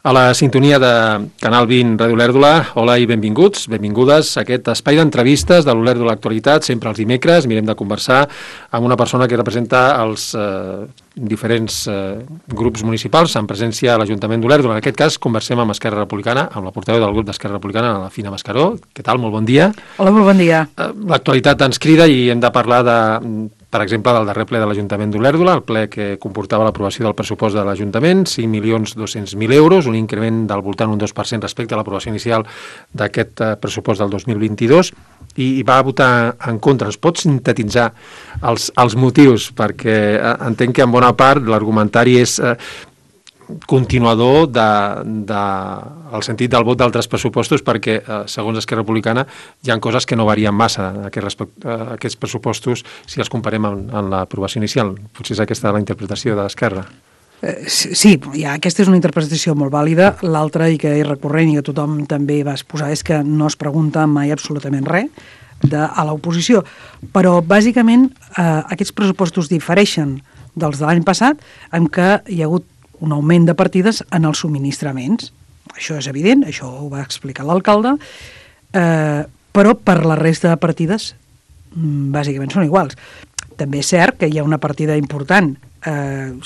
A la sintonia de Canal 20 Ràdio Olèrdola, hola i benvinguts, benvingudes a aquest espai d'entrevistes de l'Olèrdola Actualitat, sempre els dimecres. Mirem de conversar amb una persona que representa els diferents grups municipals en presència a l'Ajuntament d'Olèrdola. En aquest cas, conversem amb Esquerra Republicana, amb la portaveu del grup d'Esquerra Republicana, la Fina Mascaró. Què tal? Molt bon dia. Hola, molt bon dia. L'actualitat ens crida i hem de parlar per exemple, del darrer ple de l'Ajuntament d'Olèrdola, el ple que comportava l'aprovació del pressupost de l'Ajuntament, 5.200.000 euros, un increment del voltant d'un 2% respecte a l'aprovació inicial d'aquest pressupost del 2022, i va votar en contra. Es pot sintetitzar els motius? Perquè entenc que en bona part l'argumentari és continuador el sentit del vot d'altres pressupostos, perquè, segons Esquerra Republicana, hi ha coses que no varien massa respecte a aquests pressupostos si els comparem amb l'aprovació inicial. Potser és aquesta la interpretació de l'Esquerra. Sí, aquesta és una interpretació molt vàlida. L'altra, i que és recurrent i que tothom també va exposar, és que no es pregunta mai absolutament res a l'oposició. Però, bàsicament, aquests pressupostos difereixen dels de l'any passat en què hi ha hagut un augment de partides en els subministraments. Això és evident, això ho va explicar l'alcalde, però per la resta de partides bàsicament són iguals. També és cert que hi ha una partida important.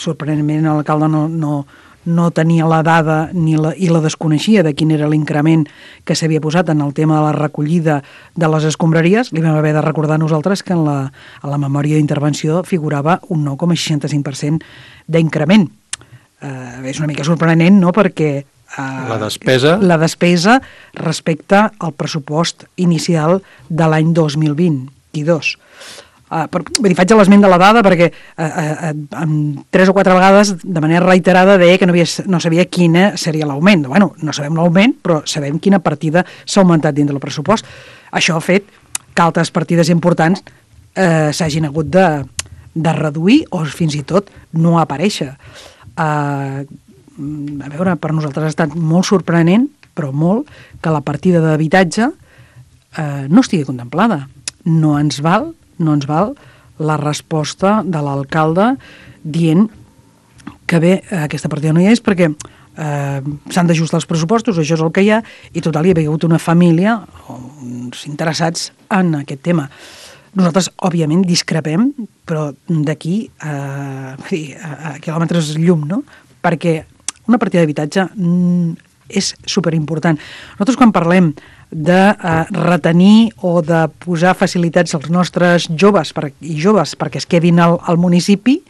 Sorprenentment l'alcalde no tenia la dada i la desconeixia de quin era l'increment que s'havia posat en el tema de la recollida de les escombraries. Li vam haver de recordar a nosaltres que a la memòria d'intervenció figurava un 9,65% d'increment. És una mica sorprenent, no?, perquè la despesa respecte al pressupost inicial de l'any 2022. Faig l'esment de la dada perquè 3 o 4 vegades de manera reiterada deia que no sabia quina seria l'augment. Bueno, no sabem l'augment, però sabem quina partida s'ha augmentat dins del pressupost. Això ha fet que altres partides importants s'hagin hagut de reduir o fins i tot no aparèixer. A veure, per nosaltres ha estat molt sorprenent, però molt, que la partida d'habitatge no estigui contemplada. No ens val la resposta de l'alcalde dient que bé, aquesta partida no hi és perquè s'han d'ajustar els pressupostos, això és el que hi ha, i total, hi havia hagut una família, uns interessats en aquest tema. Nosaltres, òbviament, discrepem, però d'aquí a quilòmetres llum, no? Perquè una partida d'habitatge és superimportant. Nosaltres, quan parlem de retenir o de posar facilitats als nostres joves perquè es quedin al municipi,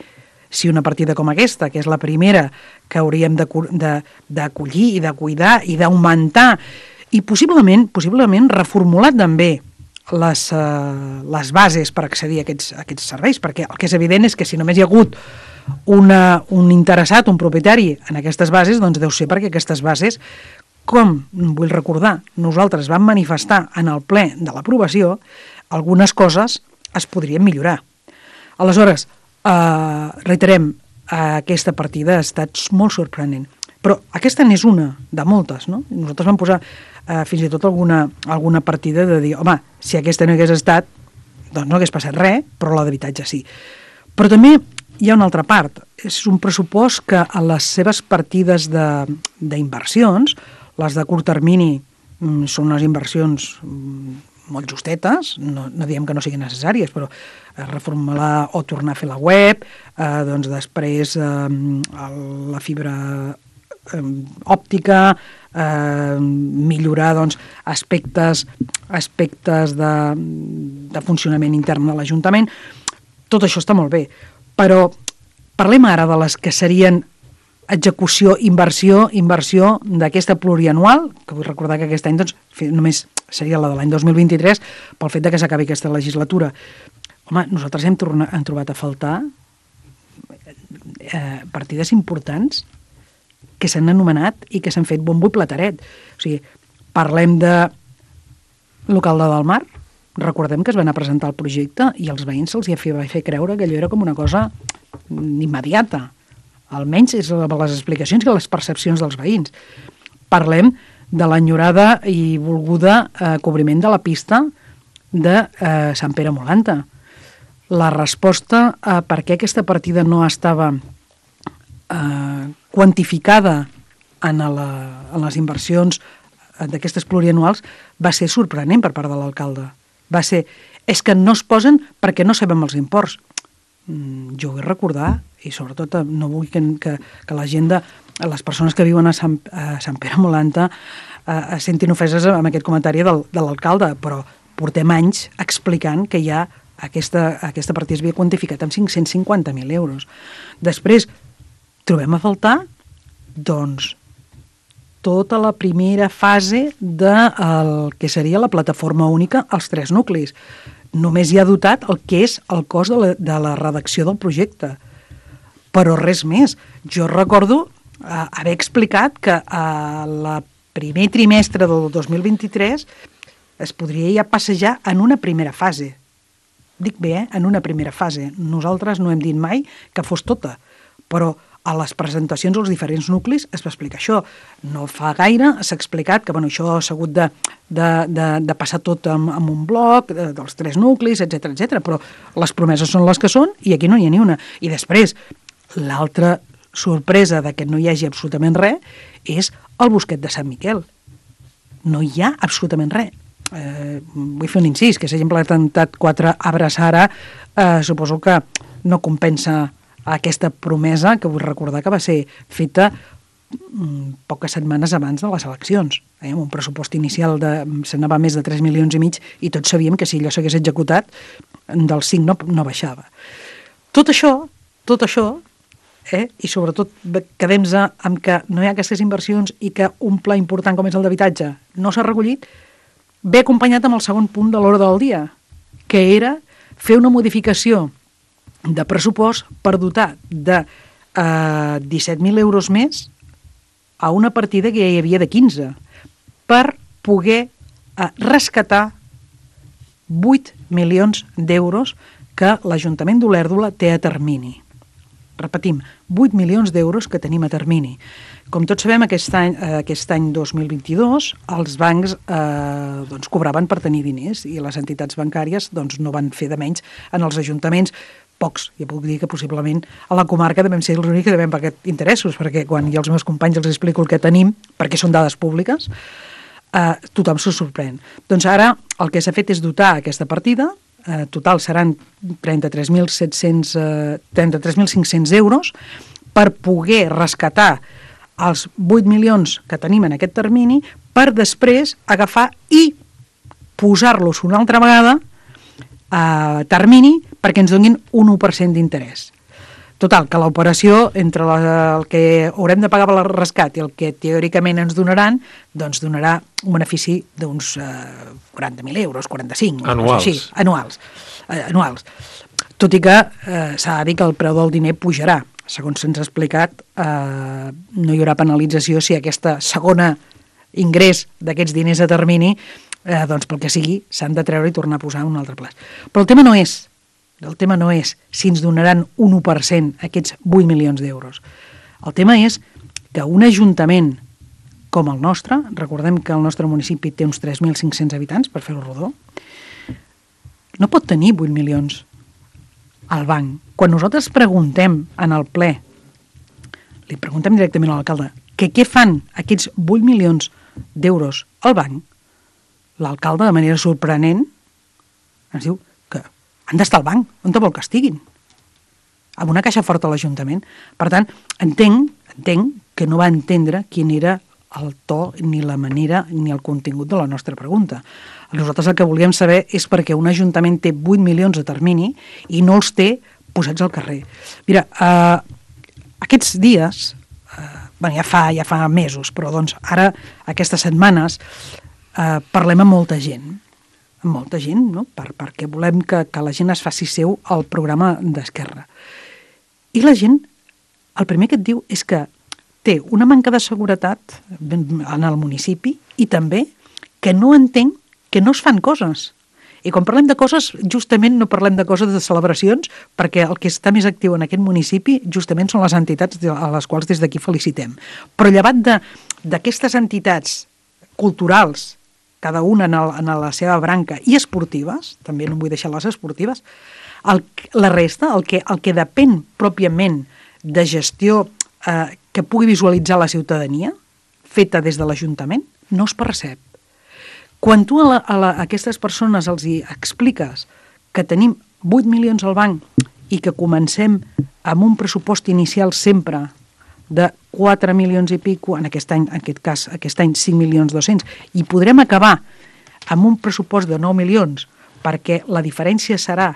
si una partida com aquesta, que és la primera que hauríem d'acollir i de cuidar i d'augmentar, i possiblement reformular també les bases per accedir a aquests serveis, perquè el que és evident és que si només hi ha hagut un interessat, un propietari en aquestes bases, doncs deu ser perquè aquestes bases, com vull recordar, nosaltres vam manifestar en el ple de l'aprovació, algunes coses es podrien millorar. Aleshores, reiterem, aquesta partida ha estat molt sorprenent. Però aquesta n'és una de moltes, no? Nosaltres vam posar fins i tot alguna partida de dir, home, si aquesta no hagués estat, doncs no hagués passat res, però la d'habitatge sí. Però també hi ha una altra part. És un pressupost que a les seves partides d'inversions, les de curt termini són unes inversions molt justetes, no diem que no siguin necessàries, però reformular o tornar a fer la web, doncs després la fibra òptica, millorar doncs, aspectes de funcionament intern de l'Ajuntament. Tot això està molt bé, però parlem ara de les que serien execució, inversió d'aquesta plurianual, que vull recordar que aquest any doncs, només seria la de l'any 2023, pel fet de que s'acabi aquesta legislatura. Home, nosaltres hem trobat a faltar partides importants que s'han anomenat i que s'han fet bombo i plateret. O sigui, parlem de l'alcalde del Mar, recordem que es va anar a presentar el projecte i als veïns se'ls va fer creure que allò era com una cosa immediata. Almenys és les explicacions i les percepcions dels veïns. Parlem de l'enyorada i volguda cobriment de la pista de Sant Pere Molanta. La resposta a per què aquesta partida no estava quantificada en les inversions d'aquestes plurianuals va ser sorprenent per part de l'alcalde. Va ser, és que no es posen perquè no sabem els imports. Jo vull recordar, i sobretot no vull que la gent les persones que viuen a Sant Pere Molanta es sentin ofeses amb aquest comentari de l'alcalde, però portem anys explicant que ja aquesta partida es havia quantificat amb 550.000 euros. Després trobem a faltar, doncs, tota la primera fase del que seria la plataforma única als 3 nuclis. Només hi ha dotat el que és el cost de la redacció del projecte. Però res més. Jo recordo haver explicat que el primer trimestre del 2023 es podria ja passejar en una primera fase. Dic bé, en una primera fase. Nosaltres no hem dit mai que fos tota, però a les presentacions als diferents nuclis es va explicar això. No fa gaire s'ha explicat que això s'ha hagut de passar tot amb un bloc dels 3 nuclis, etc, però les promeses són les que són i aquí no hi ha ni una. I després, l'altra sorpresa de que no hi hagi absolutament res és el bosquet de Sant Miquel. No hi ha absolutament res. Vull fer un incís, que s'hagin plantat 4 arbres ara, suposo que no compensa aquesta promesa, que vull recordar que va ser feta poques setmanes abans de les eleccions, amb un pressupost inicial s'anava més de 3,5 milions i tots sabíem que si allò s'hagués executat del 5 no baixava. Tot això, i sobretot quedem-nos amb que no hi ha aquestes inversions i que un pla important com és el d'habitatge no s'ha recollit, ve acompanyat amb el segon punt de l'ordre del dia, que era fer una modificació de pressupost per dotar de 17.000 euros més a una partida que ja hi havia de 15, per poder rescatar 8 milions d'euros que l'Ajuntament d'Olèrdola té a termini. Repetim, 8 milions d'euros que tenim a termini. Com tots sabem, aquest any 2022 els bancs cobraven per tenir diners i les entitats bancàries no van fer de menys en els ajuntaments. Pocs, ja puc dir que possiblement a la comarca devem ser els únics que devem pagar interessos, perquè quan jo als meus companys els explico el que tenim, perquè són dades públiques, tothom se sorprèn. Doncs ara el que s'ha fet és dotar aquesta partida, total seran 33.500 euros, per poder rescatar els 8 milions que tenim en aquest termini, per després agafar i posar-los una altra vegada a termini perquè ens donin un 1% d'interès. Total, que l'operació entre el que haurem de pagar per el rescat i el que teòricament ens donaran, doncs donarà un benefici d'uns 40.000 euros, 45. Anuals. Així, anuals. Tot i que s'ha de dir que el preu del diner pujarà. Segons se'ns ha explicat, no hi haurà penalització si aquesta segona ingrés d'aquests diners a termini, doncs pel que sigui, s'han de treure i tornar a posar un altre plaç. Però el tema no és si ens donaran un 1% aquests 8 milions d'euros. El tema és que un ajuntament com el nostre, recordem que el nostre municipi té uns 3.500 habitants, per fer-ho rodó, no pot tenir 8 milions al banc. Quan nosaltres preguntem en el ple, li preguntem directament a l'alcalde, que què fan aquests 8 milions d'euros al banc, l'alcalde, de manera sorprenent, ens diu que han d'estar al banc, on vol que estiguin? Amb una caixa forta a l'Ajuntament. Per tant, entenc que no va entendre quin era el to, ni la manera, ni el contingut de la nostra pregunta. Nosaltres el que volíem saber és perquè un Ajuntament té 8 milions de termini i no els té posats al carrer. Mira, aquests dies, ja fa mesos, però doncs ara, aquestes setmanes, parlem amb molta gent, no? perquè volem que la gent es faci seu al programa d'Esquerra. I la gent, el primer que et diu és que té una manca de seguretat en el municipi i també que no entén que no es fan coses. I quan parlem de coses, justament no parlem de coses de celebracions, perquè el que està més actiu en aquest municipi justament són les entitats a les quals des d'aquí felicitem. Però llevat d'aquestes entitats culturals, cada una en la seva branca, i esportives, també no vull deixar les esportives, la resta, el que depèn pròpiament de gestió que pugui visualitzar la ciutadania, feta des de l'Ajuntament, no es percep. Quan tu a aquestes persones els hi expliques que tenim 8 milions al banc i que comencem amb un pressupost inicial sempre de 4 milions i pico, en aquest any 5.200.000, i podrem acabar amb un pressupost de 9 milions, perquè la diferència serà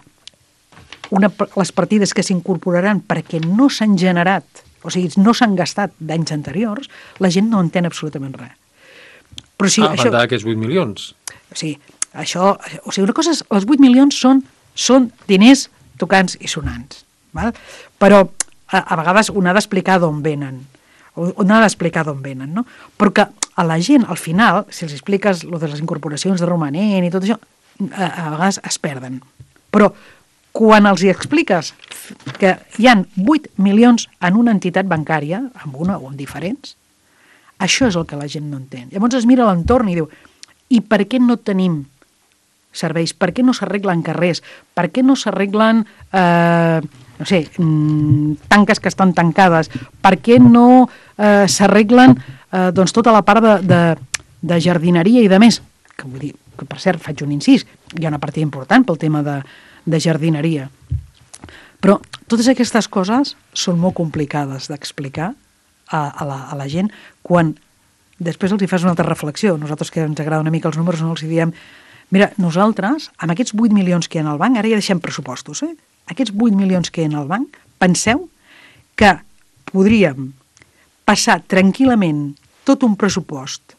les partides que s'incorporaran perquè no s'han generat, o sigui, no s'han gastat d'anys anteriors, la gent no entén absolutament res. Però sí, a banda d'aquests 8 milions. Una cosa és, els 8 milions són diners tocants i sonants, val? Però a vegades un ha d'explicar d'on venen, no? Però que a la gent, al final, si els expliques lo de les incorporacions de romanent i tot això, a vegades es perden. Però quan els hi expliques que hi han 8 milions en una entitat bancària, amb una o en diferents, això és el que la gent no entén. Llavors es mira a l'entorn i diu, i per què no tenim serveis? Per què no s'arreglen carrers? Per què no s'arreglen, tanques que estan tancades? Per què no s'arreglen tota la part de jardineria i de més? Que vull dir, que per cert, faig un incís, hi ha una partida important pel tema de jardineria. Però totes aquestes coses són molt complicades d'explicar a la gent quan després els hi fas una altra reflexió. Nosaltres, que ens agrada una mica els números, no els hi diem, mira, nosaltres, amb aquests 8 milions que hi ha al banc, ara ja deixem pressupostos, aquests 8 milions que hi ha al banc, penseu que podríem passar tranquil·lament tot un pressupost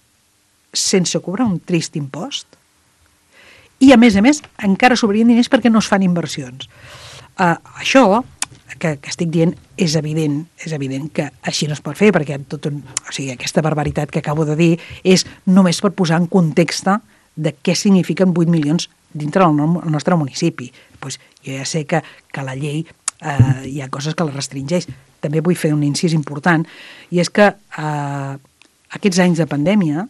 sense cobrar un trist impost i, a més, encara sobrarien diners perquè no es fan inversions. Això que estic dient és evident que així no es pot fer, perquè aquesta barbaritat que acabo de dir és només per posar en context de què signifiquen 8 milions dintre del nostre municipi. Pues jo ja sé que la llei hi ha coses que la restringeix. També vull fer un incís important, i és que aquests anys de pandèmia,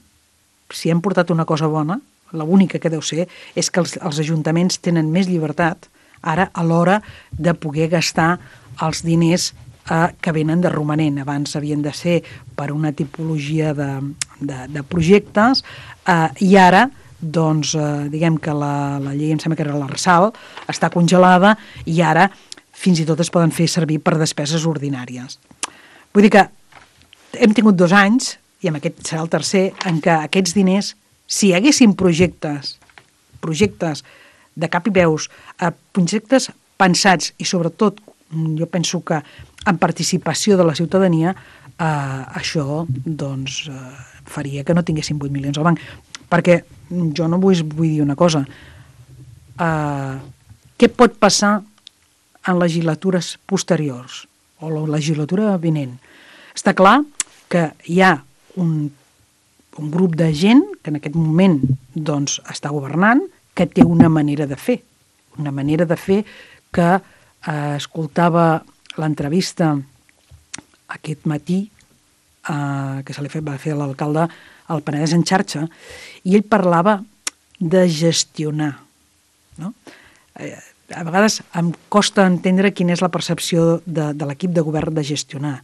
si hem portat una cosa bona, l'única que deu ser és que els ajuntaments tenen més llibertat ara a l'hora de poder gastar els diners que venen de romanent. Abans havien de ser per una tipologia de projectes i ara, doncs, diguem que la llei, em sembla que era l'Arsal, està congelada i ara fins i tot es poden fer servir per despeses ordinàries. Vull dir que hem tingut 2 anys, i amb aquest serà el tercer, en què aquests diners, si hi haguessin projectes de cap i veus, projectes pensats i sobretot jo penso que en participació de la ciutadania, això doncs faria que no tinguéssim 8 milions al banc. Perquè jo no vull dir una cosa. Què pot passar en legislatures posteriors o la legislatura vinent? Està clar que hi ha un grup de gent que en aquest moment doncs, està governant, que té una manera de fer que escoltava l'entrevista aquest matí que se li va fer a l'alcalde al Penedès en xarxa, i ell parlava de gestionar, no? A vegades em costa entendre quina és la percepció de l'equip de govern de gestionar.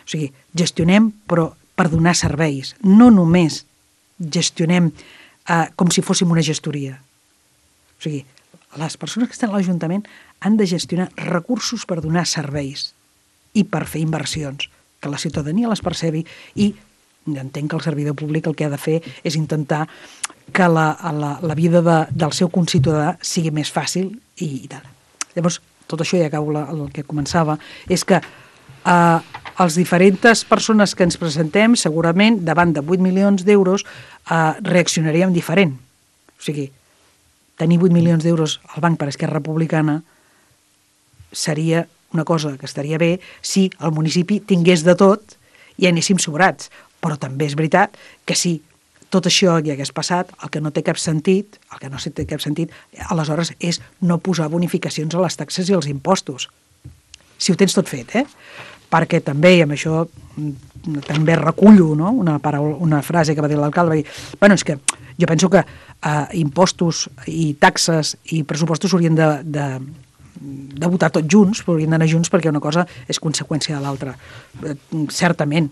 O sigui, gestionem però per donar serveis, no només gestionem com si fóssim una gestoria. O sigui, les persones que estan a l'Ajuntament han de gestionar recursos per donar serveis i per fer inversions, que la ciutadania les percebi, i entenc que el servidor públic el que ha de fer és intentar que la vida del seu conciutadà sigui més fàcil i tal. Llavors, tot això, ja acabo el que començava, és que els diferents persones que ens presentem, segurament, davant de 8 milions d'euros, reaccionaríem diferent. O sigui, tenir 8 milions d'euros al banc per Esquerra Republicana seria una cosa que estaria bé si el municipi tingués de tot i anéssim sobrats. Però també és veritat que si tot això hi hagués passat, el que no té cap sentit, aleshores és no posar bonificacions a les taxes i als impostos. Si ho tens tot fet, perquè també, i amb això també recullo, no? una frase que va dir l'alcalde, va dir, bueno, és que jo penso que impostos i taxes i pressupostos haurien de votar tots junts, haurien d'anar junts perquè una cosa és conseqüència de l'altra. Certament,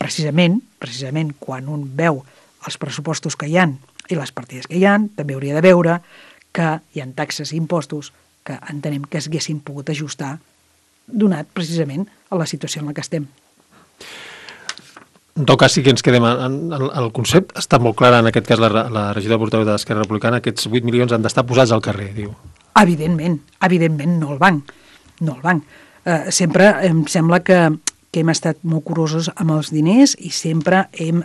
precisament, quan un veu els pressupostos que hi ha i les partides que hi ha, també hauria de veure que hi ha taxes i impostos que entenem que s'haguessin pogut ajustar donat precisament a la situació en la que estem. En tot cas, sí que ens quedem el concepte. Està molt clar, en aquest cas, la regidora portaveu d'Esquerra Republicana, aquests 8 milions han d'estar posats al carrer, diu. Evidentment, no al banc. Sempre em sembla que hem estat molt curosos amb els diners i sempre hem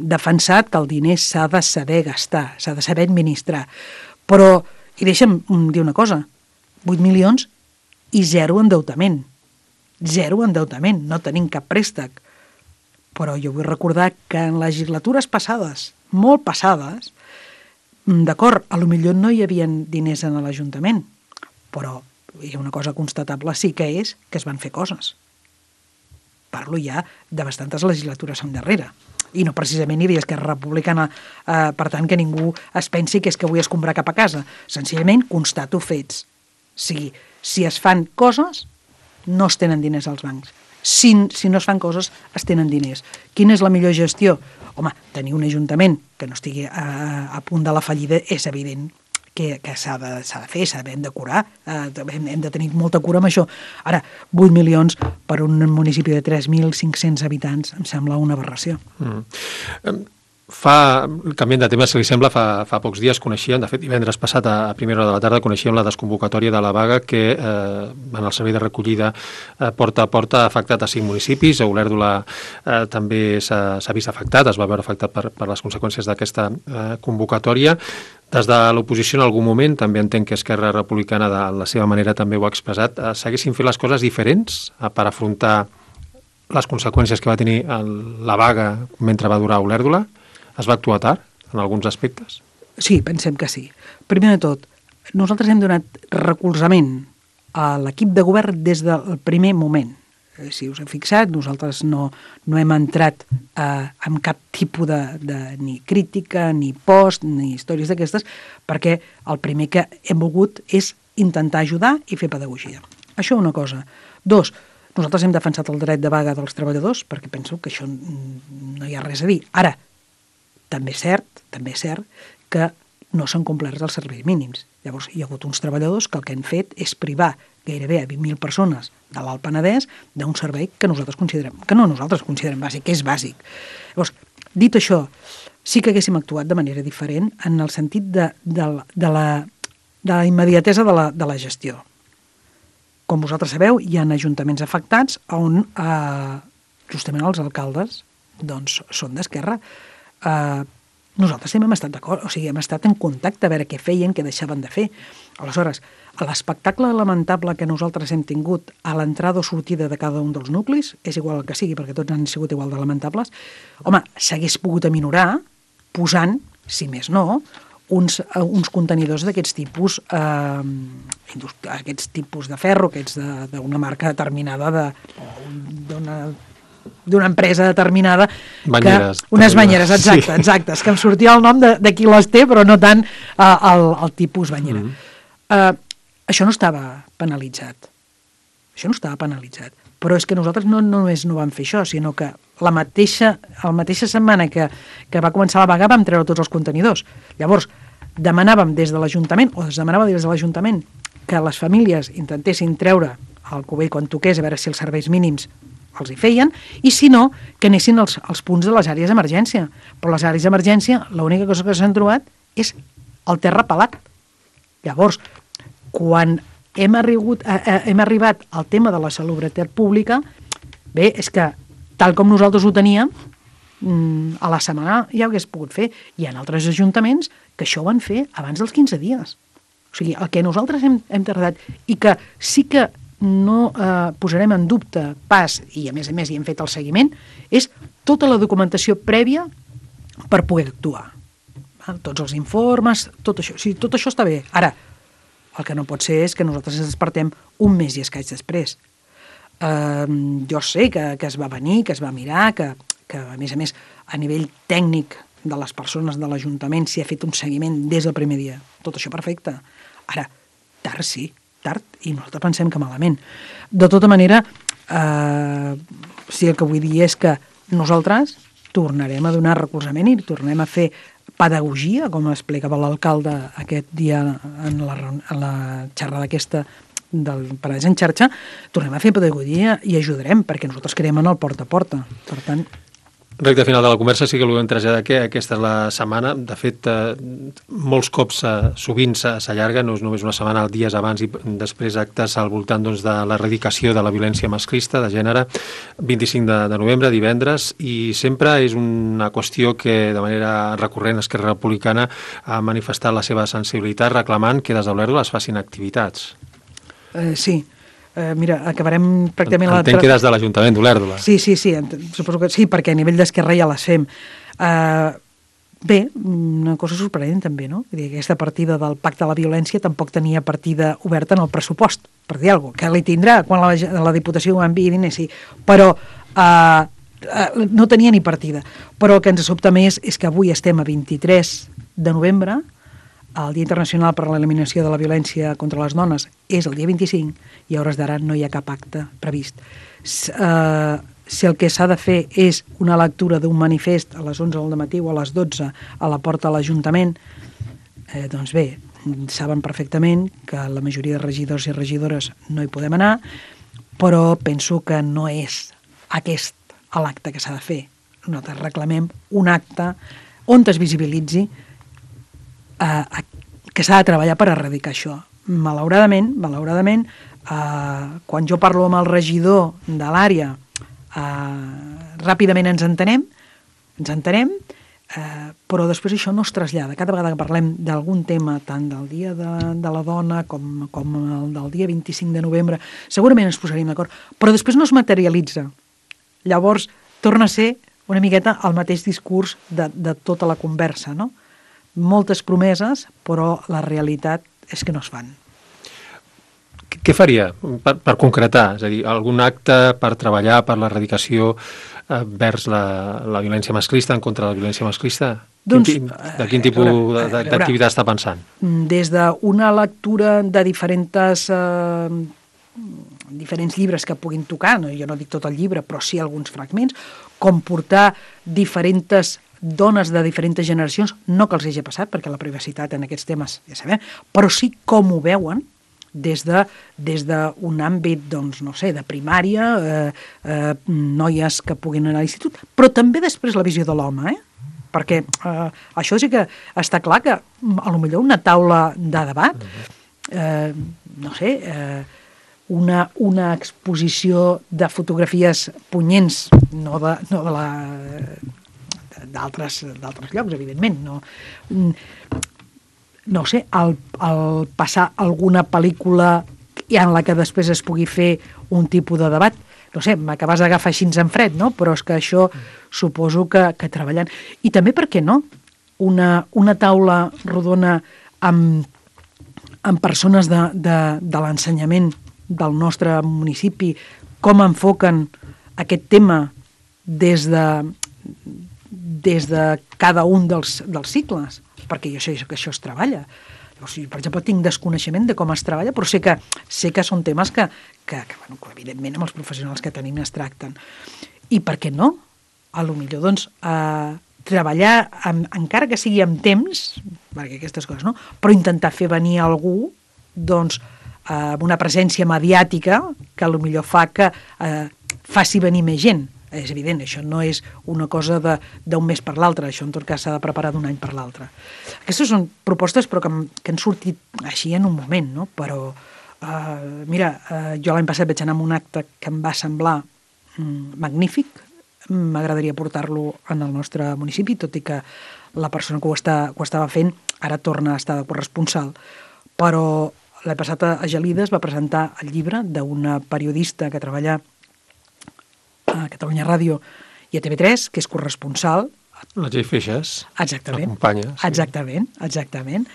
defensat que el diner s'ha de saber gastar, s'ha de saber administrar. Però, i deixa'm dir una cosa, 8 milions i zero endeutament. Zero endeutament, no tenim cap préstec. Però jo vull recordar que en legislatures passades, molt passades, d'acord, a lo millor no hi havia diners en l'Ajuntament, però hi ha una cosa constatable sí que és que es van fer coses. Parlo ja de bastantes legislatures endarrere. I no precisament hi havia Esquerra Republicana, per tant que ningú es pensi que és que vull escombrar cap a casa. Senzillament constato fets. Si es fan coses, no es tenen diners als bancs. Si no es fan coses, es tenen diners. Quina és la millor gestió? Home, tenir un ajuntament que no estigui a punt de la fallida és evident que s'ha de fer, hem de curar, hem de tenir molta cura amb això. Ara, 8 milions per un municipi de 3.500 habitants em sembla una aberració. Canviant de tema, si li sembla, fa pocs dies coneixíem, de fet divendres passat a primera hora de la tarda coneixíem la desconvocatòria de la vaga que en el servei de recollida porta a porta ha afectat a 5 municipis. A Olèrdola també s'ha vist afectat, es va veure afectat per les conseqüències d'aquesta convocatòria. Des de l'oposició en algun moment, també entenc que Esquerra Republicana de la seva manera també ho ha expressat, s'haguessin fet les coses diferents per afrontar les conseqüències que va tenir la vaga mentre va durar a Olèrdola? Es va actuar tard en alguns aspectes? Sí, pensem que sí. Primer de tot, nosaltres hem donat recolzament a l'equip de govern des del primer moment. Si us heu fixat, nosaltres no hem entrat amb cap tipus de ni crítica, ni post, ni històries d'aquestes, perquè el primer que hem volgut és intentar ajudar i fer pedagogia. Això una cosa. 2, nosaltres hem defensat el dret de vaga dels treballadors, perquè penso que això no hi ha res a dir. Ara, també és cert que no s'han complert els serveis mínims. Llavors, hi ha hagut uns treballadors que el que han fet és privar gairebé a 20.000 persones de l'Alt Penedès d'un servei que nosaltres considerem bàsic, que és bàsic. Llavors, dit això, sí que haguéssim actuat de manera diferent en el sentit de la immediatesa de la gestió. Com vosaltres sabeu, hi ha ajuntaments afectats on justament els alcaldes són d'Esquerra. Nosaltres hem estat d'acord, hem estat en contacte a veure què feien, què deixaven de fer. Aleshores, l'espectacle lamentable que nosaltres hem tingut a l'entrada o sortida de cada un dels nuclis, és igual el que sigui, perquè tots han sigut igual de lamentables, home, s'hagués pogut aminorar posant, si més no, uns contenidors d'aquests tipus, aquests tipus de ferro, aquests d'una marca determinada, d'una empresa determinada, unes banyeres, exactes, que em sortia el nom de qui les té, però no tant el tipus banyera. Això no estava penalitzat. Però és que nosaltres no només no vam fer això, sinó que la mateixa setmana que va començar la vaga vam treure tots els contenidors. Llavors, demanàvem des de l'Ajuntament, o es demanava des de l'Ajuntament, que les famílies intentessin treure el cubell quan toqués, a veure si els serveis mínims els hi feien, i si no, que anessin als punts de les àrees d'emergència. Però les àrees d'emergència, l'única cosa que s'han trobat és el terra pelat. Llavors, quan hem arribat al tema de la salubritat pública, bé, és que tal com nosaltres ho teníem, a la setmana ja ho hagués pogut fer. Hi ha altres ajuntaments que això ho van fer abans dels 15 dies. O sigui, el que nosaltres hem tardat i que sí que no posarem en dubte pas, i a més hi hem fet el seguiment, és tota la documentació prèvia per poder actuar. Tots els informes, tot això. Sí, tot això està bé. Ara, el que no pot ser és que nosaltres ens despertem un mes i escaig després. Jo sé que es va venir, que es va mirar, que a més, a nivell tècnic de les persones de l'Ajuntament s'hi ha fet un seguiment des del primer dia. Tot això perfecte. Ara, tard sí, tard, i nosaltres pensem que malament. De tota manera, Sí, el que vull dir és que nosaltres tornarem a donar recolzament i tornem a fer pedagogia, com explicava l'alcalde aquest dia en la xerrada aquesta del Penedès en xarxa, tornem a fer pedagogia i ajudarem, perquè nosaltres creiem en el porta a porta. Per tant... Recte final de la conversa, sí que volem traslladar que aquesta és la setmana. De fet, molts cops sovint s'allarga, no és només una setmana, dies abans i després actes al voltant doncs, de l'erradicació de la violència masclista de gènere, 25 de novembre, divendres, i sempre és una qüestió que de manera recurrent Esquerra Republicana ha manifestat la seva sensibilitat reclamant que des d'Olèrdola es facin activitats. Sí. Mira, acabarem pràcticament... Entenc que des de l'Ajuntament d'Olèrdola. Sí, suposo que sí, perquè a nivell d'Esquerra ja les fem. Bé, una cosa sorprenent també, no? Vull dir, aquesta partida del Pacte de la Violència tampoc tenia partida oberta en el pressupost, per dir alguna cosa, que li tindrà quan la Diputació ho enviï diners, sí, però no tenia ni partida. Però el que ens sobta més és que avui estem a 23 de novembre, el Dia Internacional per a l'Eliminació de la Violència contra les Dones és el dia 25 i a hores d'ara no hi ha cap acte previst. Si el que s'ha de fer és una lectura d'un manifest a les 11 del matí o a les 12 a la porta de l'Ajuntament, doncs bé, saben perfectament que la majoria de regidors i regidores no hi podem anar, però penso que no és aquest l'acte que s'ha de fer. Nosaltres reclamem un acte on es visibilitzi que s'ha de treballar per erradicar això. Malauradament, quan jo parlo amb el regidor de l'àrea, ràpidament ens entenem, però després això no es trasllada. Cada vegada que parlem d'algun tema, tant del Dia de la Dona com el del dia 25 de novembre, segurament ens posaríem d'acord, però després no es materialitza. Llavors, torna a ser una miqueta el mateix discurs de tota la conversa, no? Moltes promeses, però la realitat és que no es fan. Què faria per concretar? És a dir, algun acte per treballar per l'erradicació vers la violència masclista, en contra de la violència masclista? Doncs, de quin tipus d'activitat està pensant? Des d'una lectura de diferents llibres que puguin tocar, jo no dic tot el llibre, però sí alguns fragments, com portar diferents dones de diferents generacions, no que els hagi passat, perquè la privacitat en aquests temes ja sabem, però sí com ho veuen des d'un àmbit, doncs, no sé, de primària, noies que puguin anar a l'institut, però també després la visió de l'home, perquè això sí que està clar que a lo millor una taula de debat, no sé, una exposició de fotografies punyents, no de d'altres llocs, evidentment. No sé, al passar alguna pel·lícula en la que després es pugui fer un tipus de debat, no sé, m'acabes d'agafar així en fred, no? Però és que això suposo que treballant. I també, per què no? Una taula rodona amb persones de l'ensenyament del nostre municipi, com enfoquen aquest tema des de cada un dels cicles, perquè jo sé que això es treballa. O sigui, per exemple, tinc desconeixement de com es treballa, però sé que són temes que evidentment amb els professionals que tenim es tracten. I per què no? A lo millor, doncs, treballar, encara que sigui amb temps, perquè aquestes coses, no? Però intentar fer venir algú, doncs, amb una presència mediàtica que a lo millor fa que faci venir més gent. És evident, això no és una cosa d'un mes per l'altre, això en tot cas s'ha de preparar d'un any per l'altre. Aquestes són propostes però que han sortit així en un moment, no? Però, mira, jo l'any passat vaig anar a un acte que em va semblar magnífic, m'agradaria portar-lo en el nostre municipi, tot i que la persona que ho estava fent ara torna a estar de corresponsal, però l'any passat a Gelides va presentar el llibre d'una periodista que treballa a Catalunya Ràdio i a TV3, que és corresponsal. La Txell Feixes. Exactament. L'acompanya. Sí. Exactament.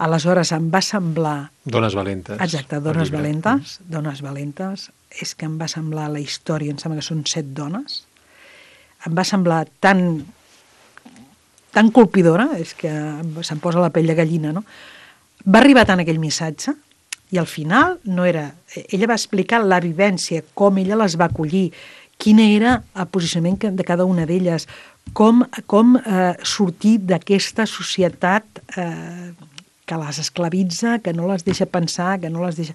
Aleshores em va semblar... Dones valentes. Exacte, dones valentes. És que em va semblar la història, em sembla que són 7 dones. Em va semblar tan colpidora, és que se'm posa la pell de gallina, no? Va arribar tant aquell missatge I al final no era... Ella va explicar la vivència, com ella les va acollir, quin era el posicionament de cada una d'elles, com sortir d'aquesta societat que les esclavitza, que no les deixa pensar, que no les deixa...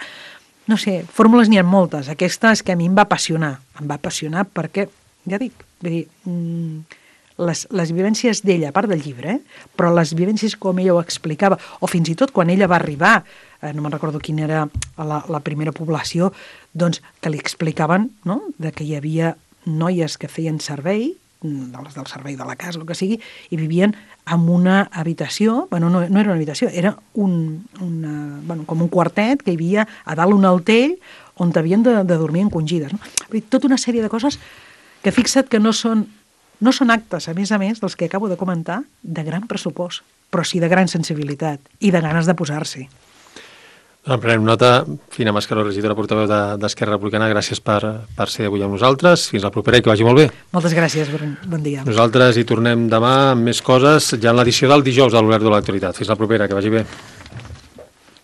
No sé, fórmules n'hi ha moltes. Aquesta és que a mi em va apassionar. Em va apassionar perquè, ja dic, vull dir, les vivències d'ella, a part del llibre, però les vivències com ella ho explicava, o fins i tot quan ella va arribar, no me'n recordo quina era la primera població, doncs que li explicaven, no?, de que hi havia noies que feien servei, del servei de la casa, el que sigui, i vivien en una habitació, bueno, no era una habitació, era com un quartet que hi havia a dalt un altell on havien de dormir encongides. No? Tota una sèrie de coses que fixa't que no són actes, a més, dels que acabo de comentar, de gran pressupost, però sí de gran sensibilitat i de ganes de posar-s'hi. En prenem nota. Fina Mascaró, regidora portaveu d'Esquerra Republicana, gràcies per ser avui amb nosaltres. Fins la propera i que vagi molt bé. Moltes gràcies, bon dia. Nosaltres hi tornem demà amb més coses, ja en l'edició del dijous de l'Obert de l'Actualitat. Fins la propera, que vagi bé.